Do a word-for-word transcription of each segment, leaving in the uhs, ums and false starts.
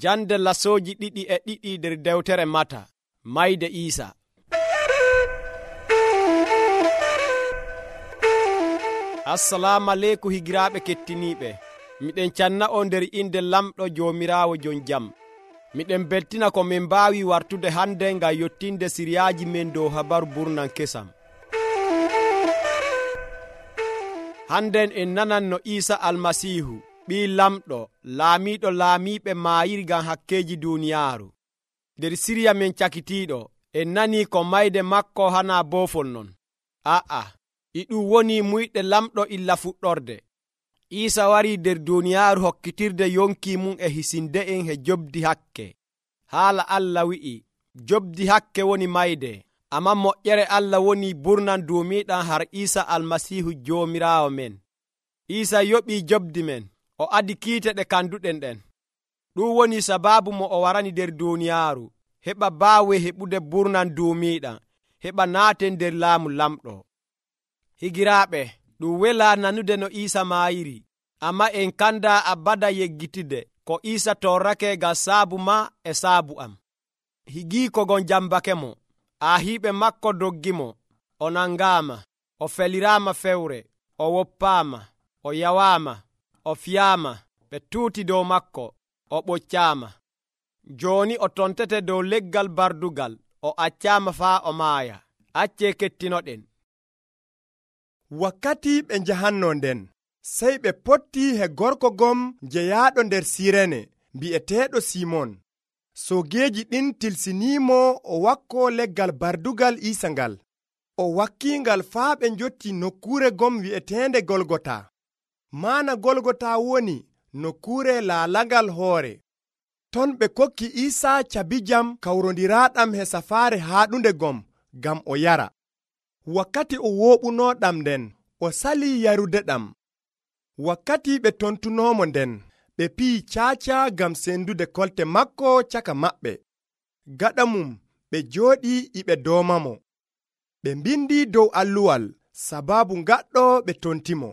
Jande lasooji ɗiɗi e ɗiɗi nder dewtere Mata. Mayde Iisa. Assalamu aleykum higiraaɓe kettiniiɓe. Miɗen canna on nder inde lamɗo Joomiraawo jon jam. Miɗen beltina ko min mbaawi wartude hande ngam yottinde siriyaaji men dow habaru burnan kesam. Handen en nanan no Iisa Almasiihu, ɓii lamɗo, laamiiɗo laamiiɓe maayiri ngam hakkeeji duuniyaaru. Nder siriya men cakitiiɗo, en nanii ko mayde makko hana boofol non. A'a, e ɗum woni muyɗe lamɗo illa fuɗɗorde. Iisa warii nder duuniyaaru hokkitirde yonki mum e hisinde'en he jobdi hakke. Haala Allah wi'i, jobdi hakke woni mayde, ammaa moƴƴere Allah woni burnan duumiiɗam har Iisa Almasiihu Joomiraawo men. Iisa yoɓii jobdi men, o adi kiite ɗe kanduɗen ɗen. Ɗum woni sabaabu mo o warani nder duuniyaaru, heɓa baawe heɓude burnan duumiiɗam, heɓa naaten nder laamu lamɗo. Higiraaɓe, ɗum welaa nanude no Iisa maayiri, ammaa en kanda abada yeggitide ko Iisa torrake ngam saabu ma e saabu am. Higii ko gon jambake mo, aahiiɓe makko doggimo, o nangaama, o feliraama fewre, o woppaama, o yawaama, o fiyaama, ɓe tuuti dow makko, o ɓoccaama. Jooni o tontete dow leggal bardugal, o accaama faa o maaya. Accee kettinoɗen. Wakkati ɓe njahanno nden, sey ɓe potti he gorko gom jeyaaɗo nder Sirene bi'eteeɗo Simon. Soogeeji ɗin tilsiniimo o wakko leggal bardugal Iisa ngal. O wakkiingal faa ɓe njotti nokkuure gom wi'eteende Golgota. Maana Golgota woni nokkuure laalagal hoore. Ton ɓe kokki Iisa cabijam kawrondiraaɗam he safaare haaɗunde gom ngam o yara. Wakkati o wooɓunooɗam nden, o salii yarude ɗam. Wakkati ɓe tontunoomo nden, ɓe piyi caaca ngam sendude kolte makko caka maɓɓe. Gaɗa mum ɓe jooɗii iɓe doomamo. Ɓe mbindi dow alluwal sabaabu ngaɗɗo ɓe tontimo.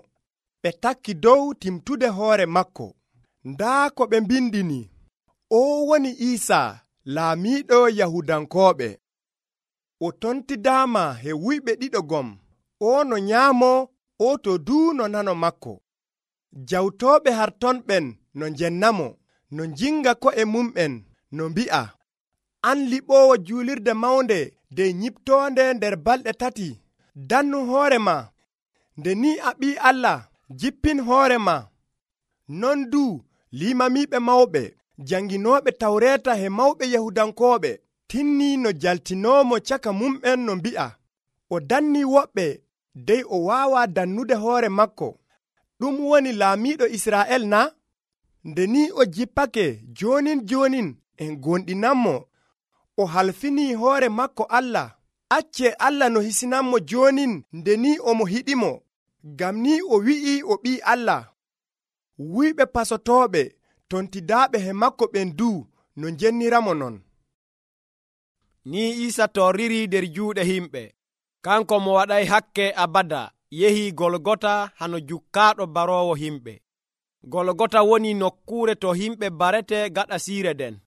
Ɓe takki dow timtude hoore makko. Ndaa ko ɓe mbindini: o woni Iisa, laamiiɗo Yahudankooɓe. O tontidaama he wuyɓe ɗiɗo gom, o no nyaamo, o to duu no nano makko. Jawtooɓe hartonɓen no njennamo, no njinga ko'e mum'en, no mbi'a: an liɓoowo juulirde mawnde nde nyiptoonde nder balɗe tati, dannu hoore ma. Nde ni a ɓii Allah, jippin hoore ma. Non duu limamiiɓe mawɓe, janginooɓe Tawreeta he mawɓe Yahudankooɓe tinnii no jaltinoomo caka mum'en no mbi'a: o dannii woɓɓe, dey o waawaa dannude hoore makko. Ɗum woni laamiiɗo Israa'el na? Nde ni o jippake joonin joonin en gonɗinanmo. O halfinii hoore makko Allah. Accee Allah no hisinanmo joonin nde ni omo hiɗimo, ngam ni o wi'ii o ɓii Allah. Wuyɓe pasotooɓe tontidaaɓe he makko ɓen duu no njenniramo non. Ni Iisa torriri nder juuɗe himɓe. Kanko mo waɗay hakke abada yehii Golgota hano jukkaaɗo baroowo himɓe. Golgota woni nokkuure to himɓe barete gaɗa siire den.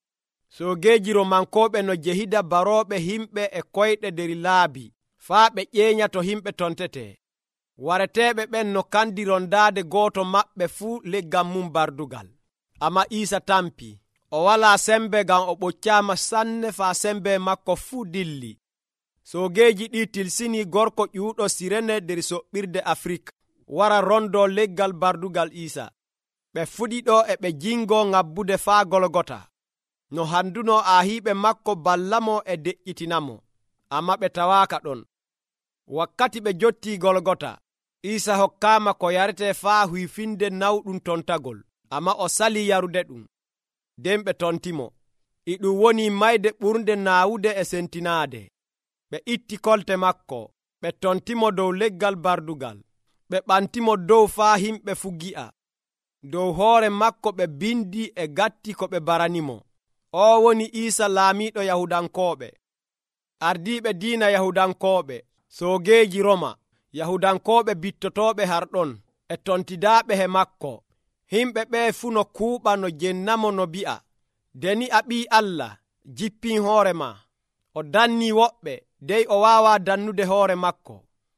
Soogeeji Romankooɓe no jehida barooɓe himɓe e koyɗe nder laabi faa ɓe ƴeeña to himɓe tontete. Wareteeɓe ɓen no kandi rondaade gooto maɓɓe fuu leggal mum bardugal. Amma Iisa tampi. O walaa sembe ngam o ɓoccaama sanne faa sembe makko fuu dilli. Soogeeji ɗi tilsini gorko ƴuuɗo Sirene nder soɓɓirde Afrik wara rondo leggal bardugal Iisa. Ɓe fuɗiɗo e ɓe jingo ngabbude faa Golgota. No handuno aahiiɓe makko ballamo e deƴƴitinamo, amma ɓe tawaaka ɗon. Wakkati ɓe jotti Golgota, Iisa hokkaama ko yarete faa huyfinde nawɗum tontagol, amma o salii yarude ɗum. Nden ɓe tontimo. E ɗum woni mayde ɓurnde naawude e sentinaade. Ɓe itti kolte makko, ɓe tontimo dow leggal bardugal, ɓe ɓantimo dow faa himɓe fu gi'a. Dow hoore makko ɓe bindi e gatti ko ɓe baranimo: o woni Iisa laamiiɗo Yahudankooɓe. Ardiiɓe diina Yahudankooɓe, soogeeji Roma, Yahudankooɓe bittotooɓe harɗon, e tontidaaɓe he makko. Himɓe ɓe fu no kuuɓa no jennamo no bi'a: deni a ɓii Allah jippin hoore ma, o danni woɓɓe dey o waawa dannude hoore makko,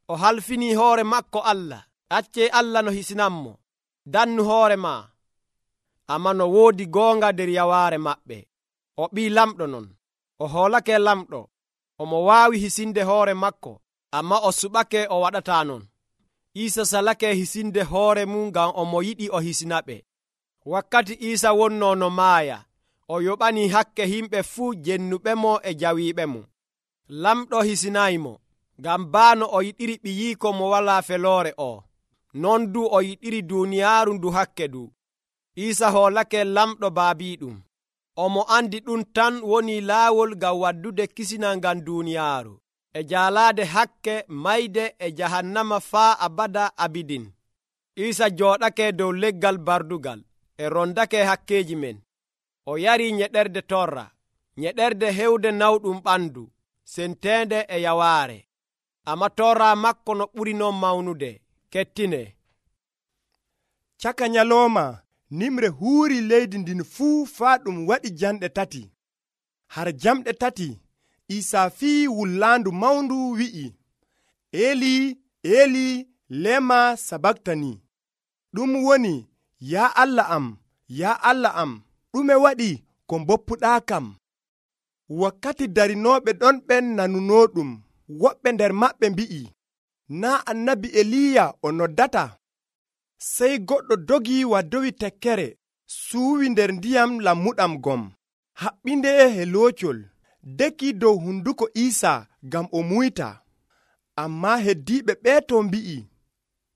o halfini hoore makko Allah. Acce Allah no hisinanmo, dannu hoore ma. Amma no woodi goonga nder yawaare maɓɓe. O ɓii lamɗo non, o hoolake lamɗo, omo waawi hisinde hoore makko, amma o suɓake o waɗata non. Iisa salake hisinde hoore mum ngam omo yiɗi o hisinaɓe. Wakkati Iisa wonno no maaya, o yoɓani hakke himɓe fuu jennuɓemo e jawiiɓemo. Lamɗo hisinaymo, ngam baano o yiɗiri ɓiyiiko mo walaa feloore o, non du o yiɗiri duuniyaaru ndu hakke du. Iisa hoolake lamɗo baabiiɗum. Omo andi ɗum tan woni laawol ngam waddude kisinal ngam duuniyaaru, e jaalaade hakke mayde e jahannama faa abada abidin. Iisa jooɗake dow leggal bardugal, e rondake hakkeeji men. O yari nyeɗerde torra, nyeɗerde hewde nawɗum ɓandu, senteende e yawaare. Amma torra makko no ɓuri non mawnude. Kettine. Caka nyalooma nimre huuri leydi ndin fuu faa ɗum waɗi janɗe tati. Har jamɗe tati Iisa fii wullaandu mawndu wi'i, Eli, Eli, lema sabaktani. Ɗum woni, yaa Allah am, yaa Allah am, ɗume waɗi ko mboppuɗaa kam? Wakkati darinooɓe ɗon ɓen nanunoo ɗum, woɓɓe nder maɓɓe mbi'i, naa annabi Eliya o noddata? Sey goɗɗo dogi waddowi tekkere, suuwi nder ndiyam lammuɗam gom, haɓɓinde he loocol, deki dow hunduko Iisa ngam o muyta. Ammaa heddiiɓe ɓeeto mbi'i,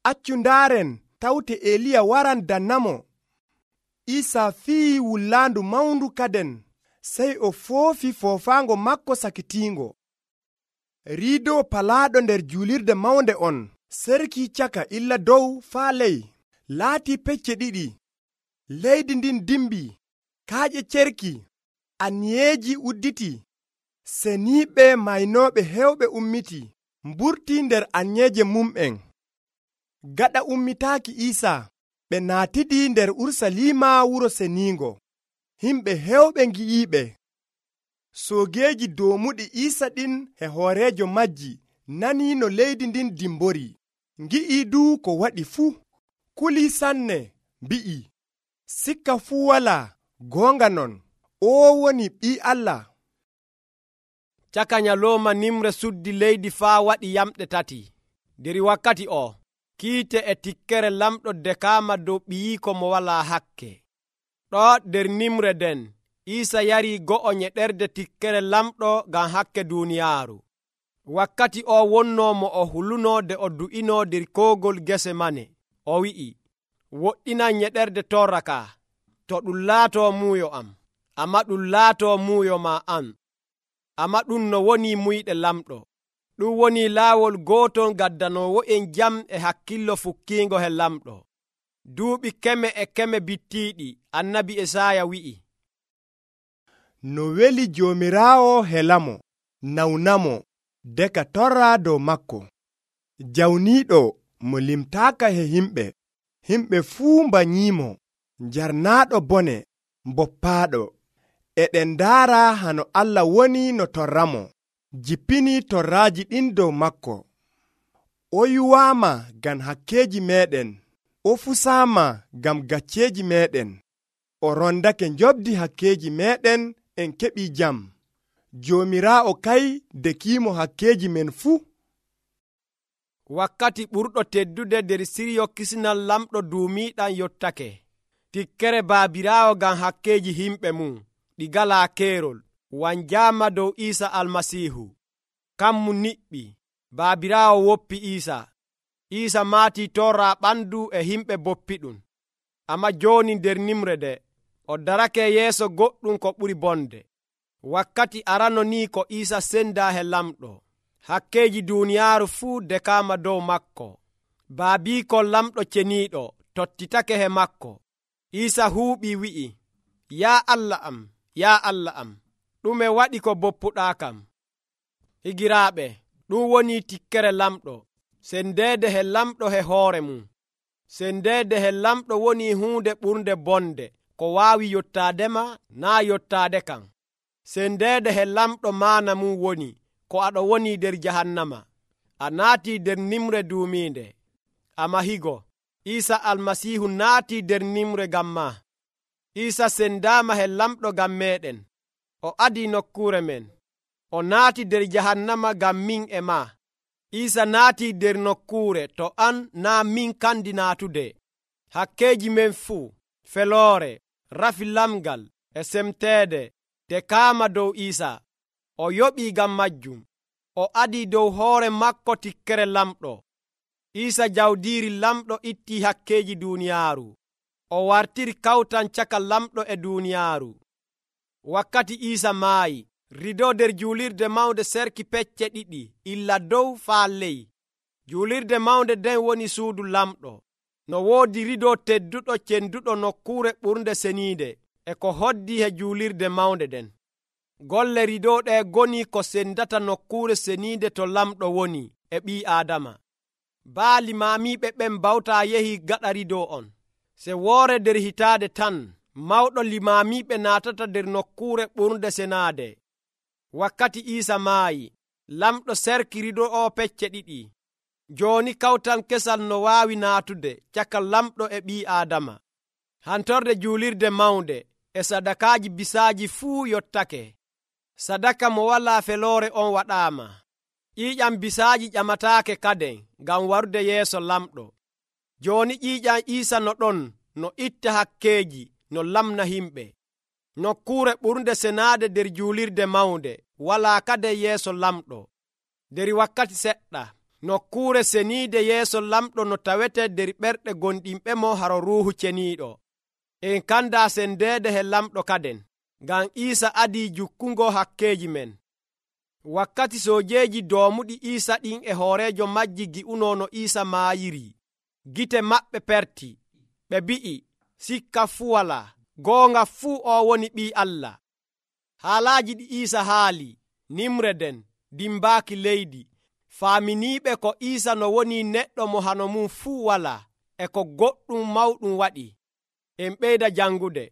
accu ndaaren tawte Eliya waran dannamo. Iisa fii wullaandu mawndu kaden, sey o foofi foofaango makko sakitiingo. Riido palaaɗo nder juulirde mawnde on serkii caka illa dow faa ley, laatii pecce ɗiɗi. Leydi ndin dimbi, kaaƴe cerki, anyeeji udditi, seniiɓe maynooɓe hewɓe ummiti, mburtii nder anyeeje mum'en. Gaɗa ummitaaki Iisa, ɓe naatidi nder Urusalima wuro seniingo. Himɓe hewɓe ngi'iiɓe. Soogeeji doomuɗi Iisa ɗin e hooreejo majji nanii no leydi ndin dimbori. Ngi'ii du ko waɗi fuu. Kulii sanne, mbi'i, sikka fuu walaa, goonga non, oo woni Ɓii Allah. Caka nyalooma nimre suddi leydi faa waɗi yamɗe tati. Der wakkati o, kiite e tikkere lamɗo dekaama dow ɓiyiiko mo walaa hakke. Ɗo der nimre den, Iisa yarii go'o nyeɗerde tikkere lamɗo ngam hakke duuniyaaru. Wakkati o wonnoo mo o hulunoo de o du'inoo der koogol gese mane. O wi'i, woɗɗinan nyeɗerde torra ka, to ɗum laatoo muuyo am, amma ɗum laatoo muuyo ma an. Amma ɗum no woni muyɗe lamɗo. Ɗum woni laawol gootol gaddanoowo'en jam e hakkillo fukkiingo he lamɗo. Duuɓi keme e keme bittiiɗi, annabi Esaaya wi'i, no weli Joomiraawo helamo, nawnamo, deka torra dow makko. Jawniiɗo mo limtaaka he himɓe, himɓe fuu mbanyiimo, njarnaaɗo bone, mboppaaɗo. Eɗen ndaara hano Allah woni no torramo, jippini torraaji ɗin dow makko. O yuwaama ngam hakkeeji meeɗen, o fusaama ngam gacceeji meeɗen. O rondake njobdi hakkeeji meeɗen, en keɓii jam. Joomiraawo kay dekiimo hakkeeji men fuu. Wakkati ɓurɗo teddude nder siryo kisinal lamɗo duumiiɗam yottake. Tikkere baabiraawo ngam hakkeeji himɓe mum ɗi galaa keerol wanjaama dow Iisa Almasiihu. Kammu niɓɓi, baabiraawo woppi Iisa. Iisa maatii torra ɓandu e himɓe boppiɗum. Amma jooni nder nimre de, o darake yeeso goɗɗum ko ɓuri bonde. Wakkati arano ni ko Iisa senda he lamɗo. Hakkeeji duuniyaaru fuu dekaama dow makko. Baabiikol lamɗo ceniiɗo tottitake he makko. Iisa huuɓi wi'i, yaa Allah am, yaa Allah am, ɗume waɗi ko boppuɗaa kam? Higiraaɓe, ɗum woni tikkere lamɗo. Sendeede he lamɗo he hoore mum. Sendeede he lamɗo woni huunde ɓurnde bonde ko waawi yottaadema naa yottaade kan. Sendeede he lamɗo maana mum woni ko aɗo woni nder jahannama. A naatii nder nimre duumiinde. A mahigo. Iisa almasiihu naatii nder nimre ngam ma. Iisa sendaama he lamɗo ngam meeɗen. O adii nokkuure men. O naati nder jahannama ngam min e ma. Iisa naatii nder nokkuure to an naa min kandi naatude. Hakkeeji men fuu, feloore, rafi lamgal e semteede te kaama dow Iisa. O yoɓii ngam majjum. O adii dow hoore makko tikkere lamɗo. Iisa jawdiiri lamɗo ittii hakkeeji duuniyaaru. O wartiri kawtan caka lamɗo e duuniyaaru. Wakkati Iisa maayi, rido nder juulirde mawnde serki pecce ɗiɗi illa dow faa ley. Juulirde mawnde nden woni suudu lamɗo. No woodi rido tedduɗo cenduɗo nokkuure ɓurnde seniinde e ko hoddi he juulirde mawnde den. Golle rido ɗe goni ko sendata nokkuure seniinde to lamɗo woni e ɓii Aadama. Baali maamiiɓe ɓen bawtaa yehi gaɗa rido on. Se woore nder hitaade tan mawɗo limaamiiɓe naatata nder nokkuure ɓurnde senaade. Wakkati Iisa maayi, lamɗo serki rido o pecce ɗiɗi. Jooni kawtan kesal no waawi naatude caka lamɗo e ɓii Aadama. Hantorde juulirde mawnde e sadakaaji bisaaji fuu yottake. Sadaka mo walaa feloore on waɗaama. ƴiiƴam bisaaji ƴamataake kaden ngam warude yeeso lamɗo. Jooni ƴiiƴam Iisa no ɗon no itta hakkeeji no lamna himɓe. Nokkuure ɓurnde senaade nder juulirde mawnde walaa kade yeeso lamɗo. Nder wakkati seɗɗa, nokkuure seniide yeeso lamɗo no tawete nder ɓerɗe gonɗinɓe mo haro Ruuhu Ceniiɗo. En kandaa sendeede he lamɗo kaden, ngam Iisa adii jukkungo hakkeeji men. Wakkati soojeeji doomuɗi Iisa ɗin e hooreejo majji gi'unoo no Iisa maayiri, gite maɓɓe perti. Ɓe mbi'i, sikka fuu walaa, goonga fuu o woni Ɓii Allah. Haalaaji ɗi Iisa haali, nimre den, dimbaaki leydi, faaminiiɓe ko Iisa no woni neɗɗo mo hano mum fuu walaa, e ko goɗɗum mawɗum waɗi. En ɓeyda jangude.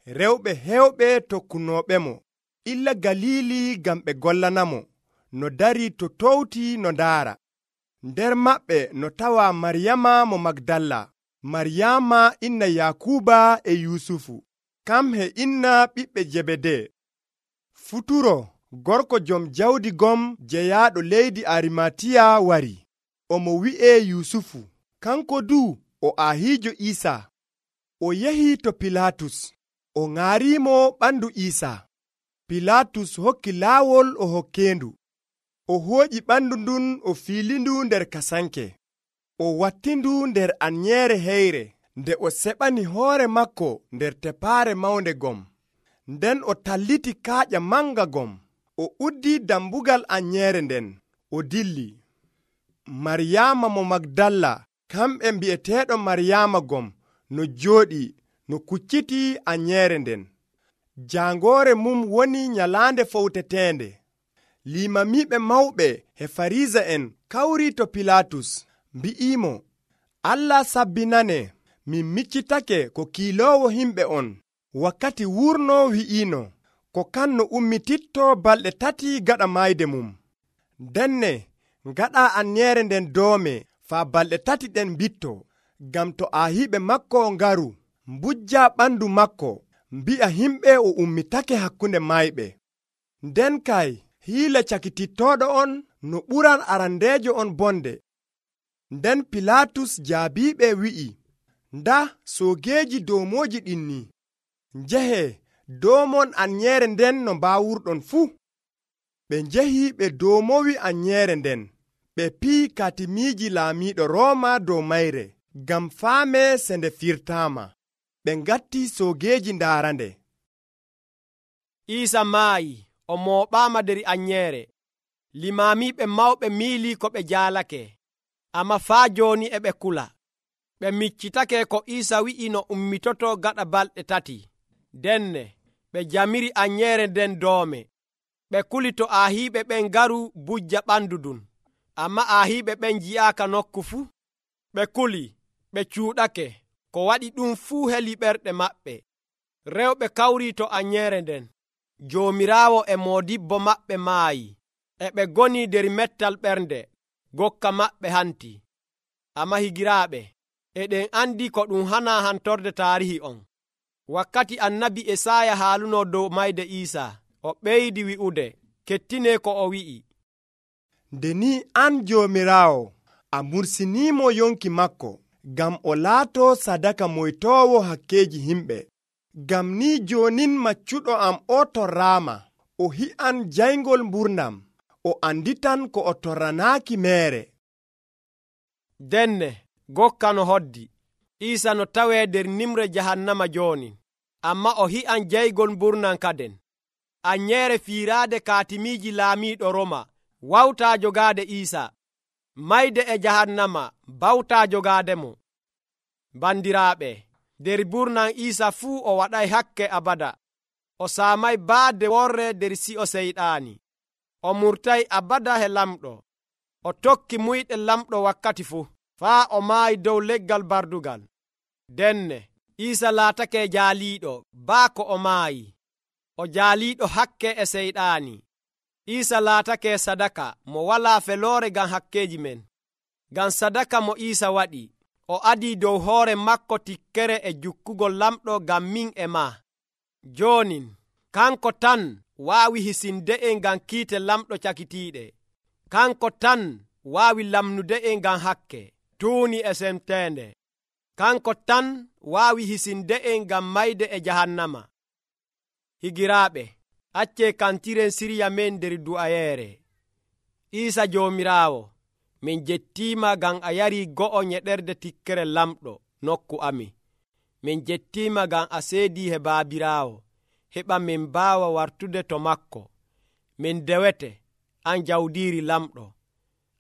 Rewɓe heewɓe tokkunooɓe mo illa Galili ngam ɓe gollanamo no dari to towti no ndaara. Nder maɓɓe no tawa Maryama mo Magdalla, Maryama inna Yakuba e Yusufu, kam he inna ɓiɓɓe Jebede. Futuro gorko jom jawdi gom jeyaaɗo leydi Arimatiya wari. Omo wi'e Yusufu, kanko du o aahiijo Iisa. O yehi to Pilatus, o ŋaarimo ɓandu Iisa. Pilatus hokki laawol o hokkeendu. O hooƴi ɓandu ndun o fiilindu nder kasanke. O wattindu nder anyeere heyre nde o seɓani hoore makko nder tepaare mawnde gom. Nden o talliti kaaƴa manga gom. O uddi dambugal anyeere nden. O dilli. Maryama mo Magdalla, kamɓe mbi'eteeɗo Maryama gom, no jooɗi no kucciti anyeere nden. Jaangoore mum woni nyalaande fowteteende. Limamiiɓe mawɓe he Farisa'en kawri to Pilatus, mbi'imo, Allah sabbinane, min miccitake ko kiiloowo himɓe on. Wakkati wurno wi'ino, ko kan no ummititto balɗe tati gaɗa mayde mum. Denne, ngaɗa anyeere nden doome faa balɗe tati ɗen mbitto, ngam to aahiɓe makko ngaru, mbujja ɓandu makko, mbi'a himɓe o ummitake hakkunde mayɓe. Nden kay, hiila cakitittooɗo on no ɓuran arandeejo on bonde. Nden Pilatus jaabiiɓe wi'i, nda soogeeji doomooji ɗin ni. Njehe, doomon anyeere nden no mbaawurɗon fuu. Ɓe njehi ɓe doomowi anyeere nden. Ɓe pi'i katimiiji laamiiɗo Rooma dow mayre, ngam faame se nde firtaama. Ɓe ngatti soogeeji ndaarande. Iisa maayi, o mooɓaama nder anyeere. Limaamiiɓe mawɓe miilii ko ɓe jaalake, amma faa jooni e ɓe kula. Ɓe miccitake ko Iisa wi'i no ummitoto gaɗa balɗe tati. Denne, ɓe jamiri anyeere nden doome. Ɓe kuli to aahiiɓe ɓen ngaru bujja ɓandu ɗum, amma aahiiɓe ɓen ji'aaka nokku fuu. Ɓe kuli, ɓe cuuɗake, ko waɗi ɗum fuu heli ɓerɗe maɓɓe. Rewɓe kawri to anyere nden. Joomiraawo e moodibbo maɓɓe maayi. E ɓe goni der mettal ɓernde, gokka maɓɓe hanti. Amma higiraaɓe, eɗen andi ko ɗum hana hantorde taarihi on. Wakkati annabi Esaya haaluno dow mayde Iisaa, o ɓeydi wi'ude, kettine ko o wi'i. Nde ni an Joomiraawo, a mursinimo yonki makko, ngam o laato sadaka moytoowo hakkeji himɓe. Ngam ni jonin maccuɗo am o torraama, o hi'an jaygol mburnam, o anditan ko o torranaaki meere. Denne, gokka no hoddi. Iisa no tawee der nimre jahannama jooni, amma o hi'an jaygol mburnam kaden. Anyere fiiraade kaatimiiji laamiiɗo Roma wawtaa jogaade Iisa. Mayde e jahannama bawtaa jogaademo. Bandiraaɓe, der burnam Iisa fuu o waɗay hakke abada. O saamay baade worre der si'o seyɗaani. O murtay abada he lamɗo. O tokki muyɗe lamɗo wakkati fuu, faa o maayi dow leggal bardugal. Denne, Iisa laatake jaaliiɗo baa ko o maayi. O jaaliiɗo hakke e seyɗaani. Iisa laatake sadaka mo walaa feloore ngam hakkeji men. Ngam sadaka mo Iisa waɗi, o adii dow hoore makko tikkere e jukkugol lamɗo ngam min e maa. Joonin, kanko tan waawi hisinde'en ngam kiite lamɗo cakitiiɗe. Kanko tan waawi lamnude'en ngam hakke, tuuni e semteende. Kanko tan waawi hisinde'en ngam mayde e jahannama. Higiraaɓe, accee kantiren sirya men nder du'ayeere. Iisa Joomiraawo, min jettiima ngam a yarii go'o nyeɗerde tikkere lamɗo nokku amin. Min jettiima ngam a seedii he baabiraawo, heɓa min mbaawa wartude to makko. Min dewete, an jawdiiri lamɗo,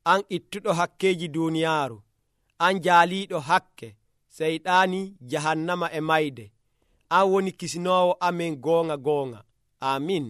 an ittuɗo hakkeji duuniyaaru, an jaaliiɗo hakke, seyɗaani, jahannama e mayde. An woni kisinoowo amen goonga goonga. Amin.